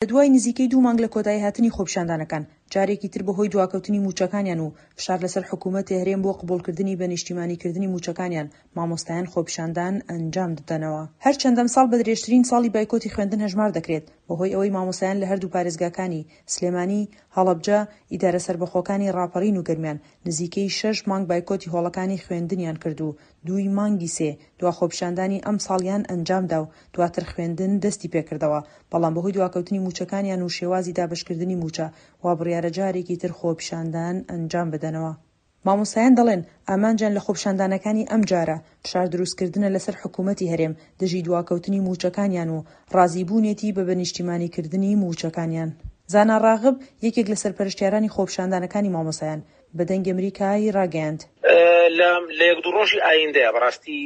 لە دوای نزیکەی دوو مانگ لە کۆتاییهاتنی خۆپیشاندانەکان، جارێکی تر بەهۆی دواکەوتنی مووچەکانیان و فشار لەسەر حکوومەتی هەرێم بۆ قبوڵکردنی بە نیشتیمانیکردنی مووچەکانیان، مامۆستایان خۆپیشاندان ئەنجام دەدەنەوە. هەرچەند ئەمساڵ بە درێژترین ساڵی بایکۆتی خوێندن هەژمار دەکرێت، بەهۆی ئەوەی مامۆستایان لە هەردوو پارێزگاکانی، سلێمانی، هەڵەبجە، ئیدارە سەربەخۆکانی ڕاپەڕین و گەرمیان، نزیکەی شەش مانگ بایکۆتی هۆڵەکانی خوێندنیان کرد و دووی مانگی سێ دوا خۆپیشاندانی ئەمساڵیان ئەنجامدا و دواتر خوێندن دەستی پێکردەوە، بەڵام بەهۆی دواکەوتنی مووچەکانیان و شێوازی دابەشکردنی مووچە، وابڕیارە جارێکی تر خۆپیشاندان ئەنجام بدەنەوە. مامۆستایان دەڵێن، ئامانجیان لە خۆپیشاندانەکانی ئەمجارە، فشار دروستکردنە لەسەر حکومەتی هەرێم دژی دواکەوتنی مووچەکانیان و ڕازیبوونێتی بە بەنیشتیمانیکردنی مووچەکانیان. زانا ڕاغب، یەکێک لە سەرپەرشتیارانی خۆپیشاندانەکانی مامۆستایان، بە دەنگی ئەمریکای ڕاگەیاند. لە لە یەک دوو ڕۆژی ئایندەیە بەڕاستی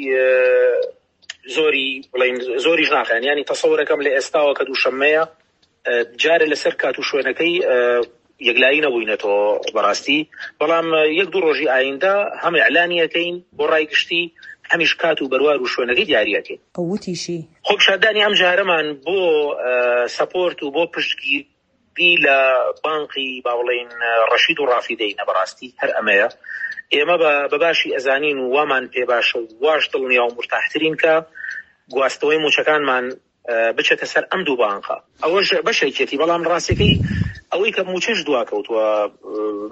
زۆری بڵین زۆریش ناخەن ینی تەسەورەکەم لە ئێستاوە کە دووشەممەیە جارێ لەسەر کات و شوێنەکەی یەکلایی نەبووینەتەوە بەڕاستی بەڵام یەک دوو ڕۆژی ئایندە هەم ئیعلانی ئەکەین بۆ ڕای گشتی هەمیش کات و بەروار و شوێنەکەی دیاری ئەکەین. ئەو وتیشی. خۆپیشاندانی ئەم جارەمان بۆ سەپۆرت و بۆ پشتگیری لە بانقی با بڵێین ڕەشید و ڕافیدەینە بەڕاستی هەر ئەمەیە ئێمە بە باشی ئەزانین و وامان پێ باشە و واش دڵنیا و مورتاحترین کە گواستنەوەی مووچەکانمان بچێتە سەر ئەم دوو بانقە. ئەوەش بەشێکیەتی، بەڵام ڕاستیەکەی ئەوەی کە مووچەش دواکەوتووە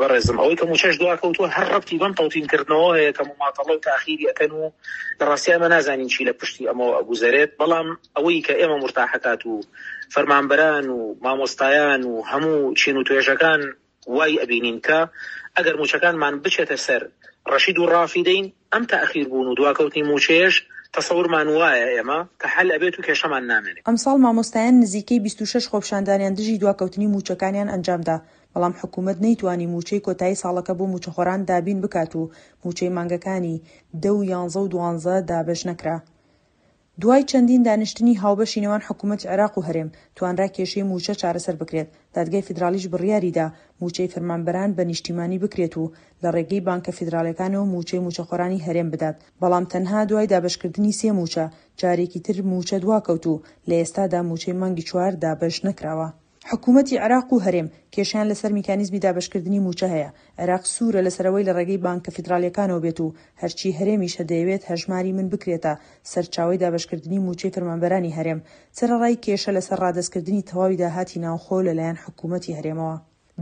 بەڕێزم، ئەوەی کە مووچەش دواکەوتووە هەر ڕەبتی بەم تەوتین کردنەوە هەیە کە موماتەڵە و تاخیری ئەکەن و لە ڕاستیا ئێمە نازانین چی لە پشتی ئەمەوە ئەگوزەرێت، بەڵام ئەوەی کە ئێمە مورتاحەکات و فەرمانبەران و مامۆستایان و هەموو چین و توێژەکان وای ئەبینین کە ئەگەر مووچەکانمان بچێتە سەر ڕەشید و ڕافیدەین، ئەم تاخیر بوون و دواکەوتنی مووچەیەش تەسەورمان وایە ئێمە کە حەل ئەبێت و کێشەمان نامێنێ. ئەمساڵ مامۆستایان نزیکەی 26 خۆپیشاندانیان دژی دواکەوتنی مووچەکانیان ئەنجامدا، بەڵام حکومەت نەیتوانی مووچەی کۆتایی ساڵەکە بۆ مووچەخۆران دابین بکات و مووچەی مانگەکانی دە و یانزە و دوانزە دابەش نەکرا. دوای چەندین دانیشتنی هاوبەشی نێوان حکومەتی عێراق و هەرێم، توانرا کێشەی مووچە چارەسەر بکرێت، دادگای فیدراڵیش بڕیاریدا مووچەی فەرمانبەران بە نیشتیمانی بکرێت و لە ڕێگەی بانکە فیدراڵیەکانەوە مووچەی مووچەخۆرانی هەرێم بدات، بەڵام تەنها دوای دابەشکردنی سێ مووچە، جارێکی تر مووچە دواکەوت و لە ئێستادا مووچەی مانگی چوار دابەش نەکراوە. حکومەتی عێراق و هەرێم کێشەیان لەسەر میکانیزمی دابەشکردنی مووچە هەیە، عێراق سوورە لەسەر ئەوەی لە ڕێگەی بانکە فیدراڵییەکانەوە بێت و هەرچی هەرێمیشە دەیەوێت هەژماری من بکرێتە سەرچاوەی دابەشکردنی مووچەی فەرمانبەرانی هەرێم، سەرەڕای کێشە لەسەر ڕادەستکردنی تەواوی داهاتی ناوخۆ لەلایەن حکومەتی هەرێمەوە.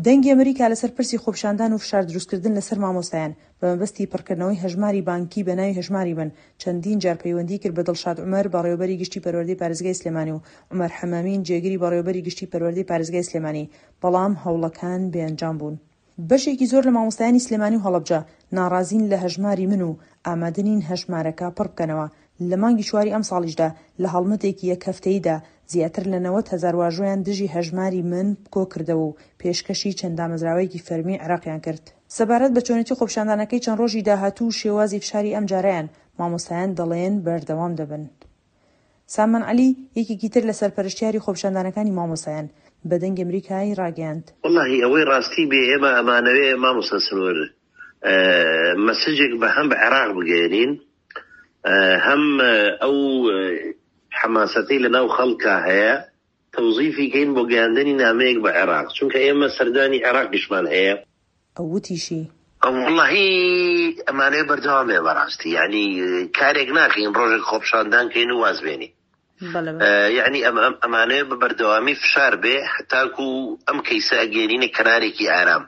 دەنگی ئەمریکا لەسەر پرسی خۆپیشاندان و فشار دروستکردن لەسەر مامۆستایان بە مەبەستی پڕکردنەوەی هەژماری بانکی بە ناوی هەژماری من چەندین جار پەیوەندی کرد بە دڵشاد عومەر بەڕێوەبەری گشتی پەروەردەی پارێزگای سلێمانی و عومەر حەمامین جێگری بەڕێوەبەری گشتی پەروەردەی پارێزگای سلێمانی بەڵام هەوڵەکان بێ ئەنجام بوون. بەشێکی زۆر لە مامۆستایانی سلێمانی و هەڵەبجە ناڕازین لە هەژماری من و ئامادە نین هەژمارەکە پڕ بکەنەوە، لە مانگی چواری ئەمساڵیشدا لە هەڵمەتێکی یەک هەفتەییدا زیاتر لە 90 هەزار واژۆیان دژی هەژماری من کۆکردەوە و پێشکەشی چەند دامەزراوەیەکی فەرمی عێراقیان کرد. سەبارەت بە چۆنێتی خۆپیشاندانەکەی چەند ڕۆژی داهاتوو و شێوازی فشاری ئەمجارەیان، مامۆستایان دەڵێن بەردەوام دەبن. سامان عەلی، یەکێکی تر لە سەرپەرشتیاری خۆپیشاندانەکانی مامۆستایان، بە دەنگی ئەمریکای ڕاگەیاند. وەڵاهی ئەوەی ڕاستی بێ ئێمە ئەمانەوێ مامۆستا سنوور مەسجێک بە هەم بە عێراق بگەیەنین هەم ئەو حەماسەتەی لە ناو خەڵکا هەیە تەوزیفی کەین بۆ گەیاندنی نامەیەک بە عێراق چونکە ئێمە سەردانی عێراقیشمان هەیە. ئەو وتیشی. وەڵاهی ئەمانەوێ بەردەوام بێ بەڕاستی یانی کارێک ناکەین ڕۆژێک خۆپشاندان کەین و واز بێنین یانی ئەمانەوێ بە بەردەوامی فشار بێ هەتاکو ئەم کەیسە ئەگەێنینە کەنارێکی ئارام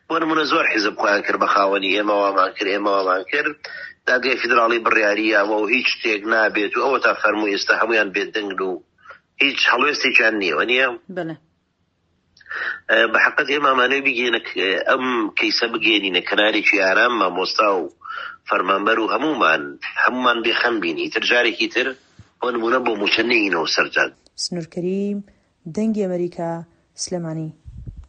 بۆ نمونە زۆر حیزب خۆیان کرد بە خاوەنی ئێمە وامان کرد ئێمە وامان کرد دادگای فیدراڵی بڕیاری یاوە و هیچ شتێک نابێت و ئەوە تا فەرموو ئێستا هەمویان بێدەنگن و هیچ هەڵوێستێکیان نییە وەنیە؟ بەلێ. بە حەقت ئێمە ئەمانەوێ بگەینە ئەم کەیسە بگەێنینە کەنارێکی ئارام مامۆستا و فەرمانبەر و هەمومان هەمومان بێخەم بین ئیتر جارێکی تر بۆ نمونە بۆ موچە نەینەوە سەر جاد. سنور کەریم، دەنگی ئەمەریکا، سلێمانی.